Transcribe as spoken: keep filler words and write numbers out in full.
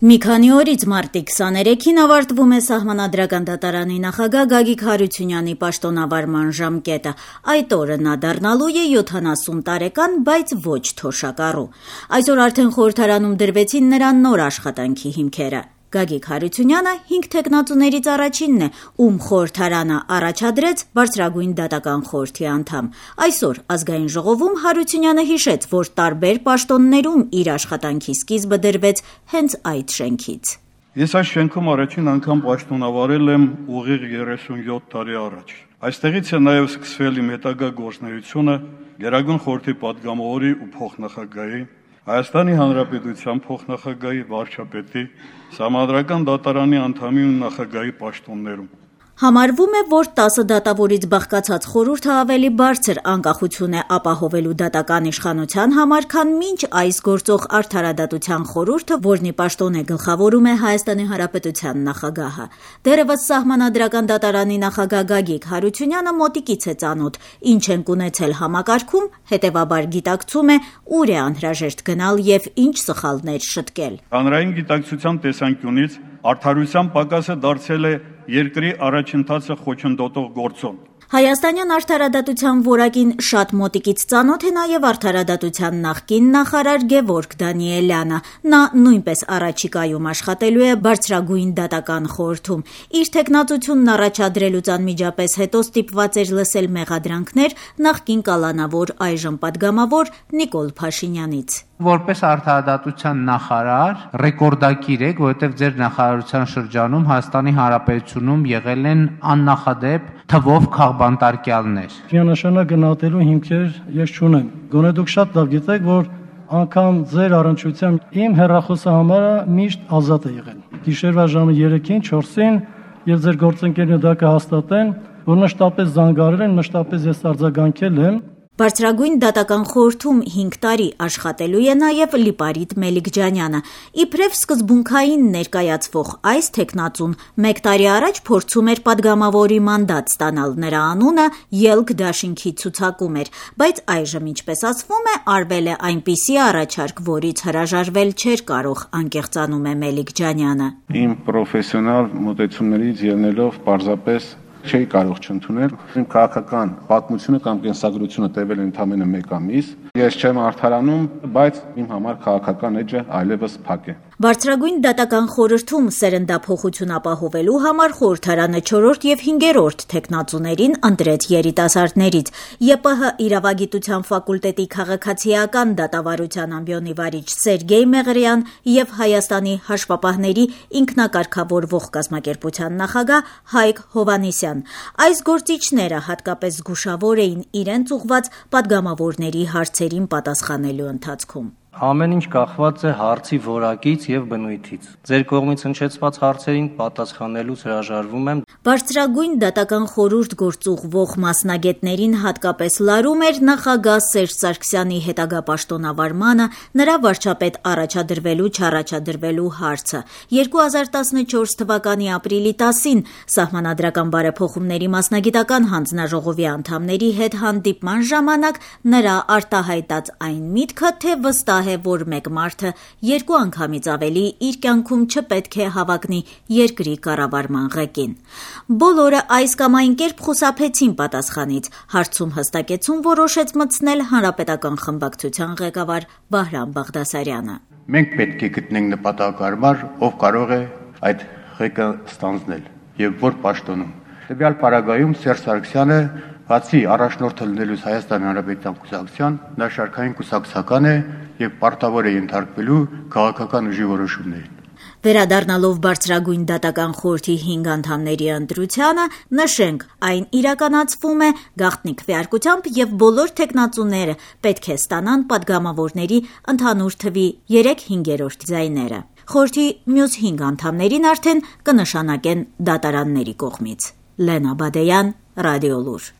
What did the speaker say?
Մի քանի օրից մարտի քսաներեքին ավարտվում է Սահմանադրական դատարանի նախագահ Գագիկ Հարությունյանի պաշտոնավարման ժամկետը։ Այդ օրը նա դառնալու է յոթանասուն տարեկան, բայց ոչ թոշակառու։ Այսօր արդեն խորհրդարանում դրվեցին նրա նոր աշխատանքի հիմքերը։ Գագիկ Հարությունյանը հինգ թեկնածուներից առաջինն է, ում խորհրդարանը առաջադրեց բարձրագույն դատական խորհրդի անդամ։ Այսօր Ազգային ժողովում Հարությունյանը հիշեց, որ տարբեր պաշտոններում իր աշխատանքի սկիզբը դրվեց հենց այդ շենքից։ Ես այս շենքում առաջին անգամ պաշտոնավարել եմ ուղիղ երեսունյոթ տարի առաջ։ Այստեղից է նաև սկսվել իմ հետագա գործունեությունը Գերագույն խորհրդի պատգամավորի ու փոխնախագահի, Հայաստանի Հանրապետության փոխնախագահի, վարչապետի, Սահմանադրական դատարանի անդամի ու նախագահի պաշտոններում։ Համարվում է, որ տասը դատավորից բաղկացած խորհուրդը ավելի բարձր անկախություն է ապահովելու դատական իշխանության համար, քան մինչ այս գործող Արդարադատության խորհուրդը, որն ի պաշտոն է գլխավորում է Հայաստանի Հանրապետության նախագահը։ Դեռևս Սահմանադրական դատարանի նախագահ Գագիկ Հարությունյանը մոտիկից է ծանոթ, ինչ ենք ունեցել համակարգում, հետևաբար գիտակցում է, ուր է անհրաժեշտ գնալ եւ ինչ սխալներ շտկել։ Հանրային գիտակցության տեսանկյունից արդարության պակասը դարձել է երկրի առաջընթացը խոչընդոտող գործոն։ Հայաստանյան արդարադատության որակին շատ մոտիկից ծանոթ է նաև արդարադատության նախկին նախարար Գևորգ Դանիելյանը։ Նա նույնպես առաջիկայում աշխատելու է բարձրագույն դատական խորհրդում։ Իր թեկնածությունն առաջադրելուց անմիջապես հետո ստիպված էր լսել մեղադրանքներ նախկին կալանավոր, այժմ պատգամավոր Նիկոլ Փաշինյանից։ Որպես արդարադատության նախարար ռեկորդակիր եք, որովհետև ձեր նախարարության շրջանում Հայաստանի Հանրապետությունում եղել են աննախադեպ թվով քաղբանտարկյալներ։ Միանշանակ գնահատելու հիմքեր ես չունեմ։ Գոնե դուք շատ լավ գիտեք, որ անգամ ձեր առնչությամբ իմ հեռախոսահամարը միշտ ազատ է եղել։ Գիշերվա ժամը երեքին, չորսին եւ ձեր գործընկերները դա կհաստատեն, որ մշտապես զանգարել են, մշտապես ես արձագանքել եմ։ Բարձրագույն դատական խորհրդում հինգ տարի աշխատելու է նաև Լիպարիտ Մելիքջանյանը։ Իբրև սկզբունքային ներկայացվող այս թեկնածուն մեկ տարի առաջ փորձում էր պատգամավորի մանդատ ստանալ, նրա անունը ելք դաշինքի ցուցակում էր, բայց այժմ, ինչպես ասվում է, արվել է այնպիսի առաջարկ, որից հրաժարվել չէր կարող, անկեղծանում է Մելիքջանյանը։ Իմ պրոֆեսիոնալ մոտեցումներից ելնելով պարզապես չէի կարող չընդունել։ Իմ քաղաքական պատմությունը կամ կենսագրությունը տևել է ընդամենը մեկ ամիս։ Ես չեմ արդարանում, բայց իմ համար քաղաքական էջը այլևս փակ է։ Բարձրագույն դատական խորհրդում սերնդափոխություն ապահովելու համար խորհրդարանը չորրորդ եւ հինգերորդ թեկնածուներին ընտրեց երիտասարդներից։ ԵՊՀ իրավագիտության ֆակուլտետի քաղաքացիական դատավարության ամբիոնի վարիչ Սերգեյ Մեղրյան եւ Հայաստանի հաշվապահների ինքնակարգավորվող կազմակերպության նախագահ Հայկ Հովհաննիսյան։ Այս գործիչները հատկապես զգուշավոր էին իրենց ուղված պատգամավորների հարցերին պատասխանելու ընթացքում։ Ամեն ինչ կախված է հարցի որակից եւ բնույթից։ Ձեր կողմից հնչեցված հարցերին պատասխանելուց հրաժարվում եմ։ Բարձրագույն դատական խորհուրդ գործուղվող մասնագետներին հատկապես լարում էր նախագահ Սերժ Սարգսյանի հետագա պաշտոնավարմանը, նրա վարչապետ առաջադրվելու չառաջադրվելու հարցը։ երկու հազար տասնչորս թվականի ապրիլի տասին Սահմանադրական բարեփոխումների մասնագիտական հանձնաժողովի անդամների հետ հանդիպման ժամանակ նրա արտահայտած այն միտքը, թե վստահ է, որ մեկ մարդը երկու անգամից ավելի իր կյանքում չպետք է հավակնի երկրի կառավարման ղեկին։ Բոլորը այս կամ այն կերպ խուսափեցին պատասխանից, հարցում հստակեցում որոշեց մտցնել Հանրապետական խմբակցության ղեկավար Վահրամ Բաղդասարյանը։ Մենք պետք է գտնենք նպատակահարմար, ով կարող է այդ ղեկը ստանձնել եւ որ պաշտոնում։ Տվյալ պարագայում Սերժ Սարգսյանը բացի առաջնորդը լինելուց Հայաստանի Հանրապետության կուսակցության, նա շարքային կուսակցական է եւ պարտավոր է ենթարկվելու քաղաքական ուժի որոշումներին։ Վերադառնալով բարձրագույն դատական խորհրդի հինգ անդամների ընտրությանը, նշենք, այն իրականացվում է գաղտնի քվեարկությամբ եւ բոլոր թեկնածուները պետք է ստանան պատգամավորների ընդհանուր թվի երեք հինգերորդ ձայները։ Խորհրդի մյուս հինգ անդամներին արդեն կնշանակեն դատարանների կողմից։ Լենա Բադեյան, Ռադիոլուր։